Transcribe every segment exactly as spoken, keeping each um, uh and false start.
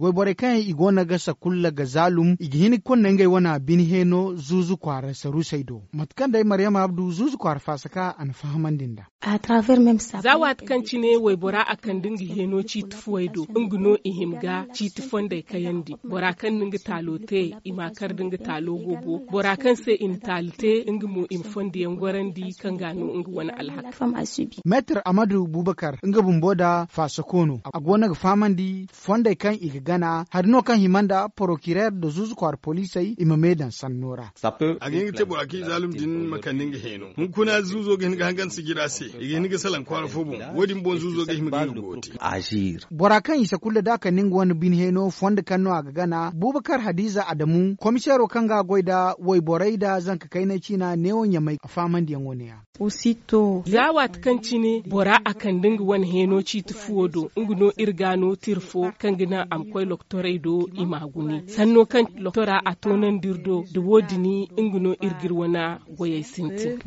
Wayborey kaŋ yaŋ i go no ga sakulla ga zaalum i ga hin ga konda ngey wane bine heeno zuuzu kwaara saruusey do. Mate kaŋ day maryama abdu zuuzu kwaara faasaka a na fahamandi nd'a. Za waati kaŋ cine waybora a kande nga heeno ciiti fuwey do, nga no i hima ga ciiti fondey kayandi. Bora kaŋ na nga taalo te, i ma a kar da nga taalo boobo. Bora kaŋ se i na taali te, nga mo i ma fondo yaŋ gorandi kaŋ ga no nga wane alhaka. Meetar amadu bubakar nga bumbo nda faasako no a go no ga fahamandi fondey kaŋ i ga gana hari no kaŋ hima nda porokirer nda zuuzu kwaara poliisey i ma me daŋ sanno ra. A ga hin ga te bora kaŋ i zaalum din ma kande nga heeno. Hunkuna zuuzo ga hin ga hangan sijira se, i ga hin ga salaŋ kwaara fo boŋ. Wo- din boŋ zuuzo ga hima ga nga go te. Bora kaŋ i sakulla da a kande nga wane bine heeno fondo kaŋ no a ga gana bubakar hadiza adamu komiseero kaŋ ga a goy nda wayborey nda zanka kaynay ciina neewo ɲamay a fahamandiyaŋo ne- ya. Za waati kaŋ cine bora a kande nga wane heeno ciiti fuwo do, nga no iri ga no tira fo kaŋ ga naŋ a ma koy lokotorey do i m'a gune sanno kaŋ lokotora a toonandi iri do. Da wo- din nga no iri ga iri wane goyey sintin.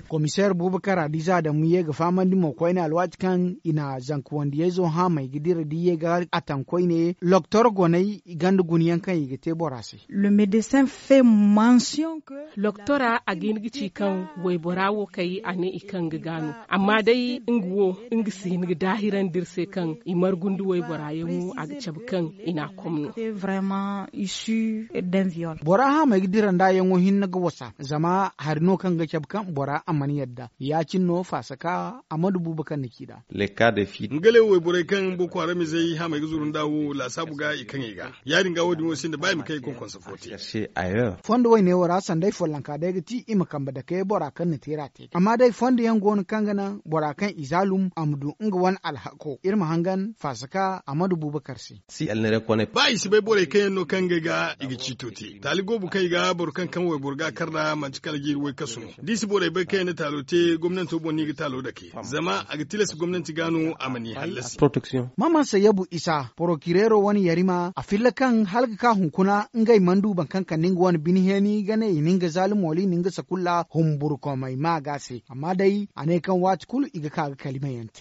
Komiseer bubakar hadiza adamu ye ga fahamandi mo koyne alwaati kaŋ i na zanka wandiyayzo haamay ga dira da i ye ga a taŋ koyne lokotor goney ganda guna yaŋ kaŋ i ga te bora se. Lokotora a ga hin ga ci kaŋ waybora wo kay a ne i kaŋ ga gaano. Amma day nga wo nga si hin ga daahirandi iri se kaŋ i margu nda waybora yaŋo a ga cabe kaŋ i n'a komno. Bora haamay ga dira nda yaŋo hinne ga wasa zama hari no kaŋ ga cabe kaŋ bora a mana yadda ya- cine no faasaka a mana buuba kaŋ na ci nd'a. Nga le wayborey kaŋ boko haramizey haamey ga zuru nda wo laasaabu ga i kaŋey ga. Ya- din ga wo- din wo sinda ba i ma kay konkonsa fo te. Fondo woyne wo ra sanday follonka day ga ti i ma kambe dake bora kaŋ na teera te amma day fondo yaŋ go no kaŋ ga naŋ bora kaŋ i zaalum a ma du nga wane alhako iri ma hangan faasaka a ma du buubakar se. Ba i si bay borey kaŋ yaŋ no kaŋ ngey ga i ga ciito te taali goobu kaŋ i ga boro kaŋ kaŋ wayboro ga a kar nd'a manti kala jiiri woy kasu no. Da i si borey bay kaŋ yaŋ na taalo te gomnanto boŋ no i ga taalo dake zama a ga tilas gomnanti ga no a ma ni hallasi. Maman sayabu isa porokireero wane yarima a filla kaŋ hala ga ka hunkuna ngey mana du boro kaŋ kande nga wane bine heeni ga ne i na nga zaalum wala i na nga sakulla humburkomey ma ga se amma day a ne kaŋ waati kulu i ga ka ga kalimayaŋ te.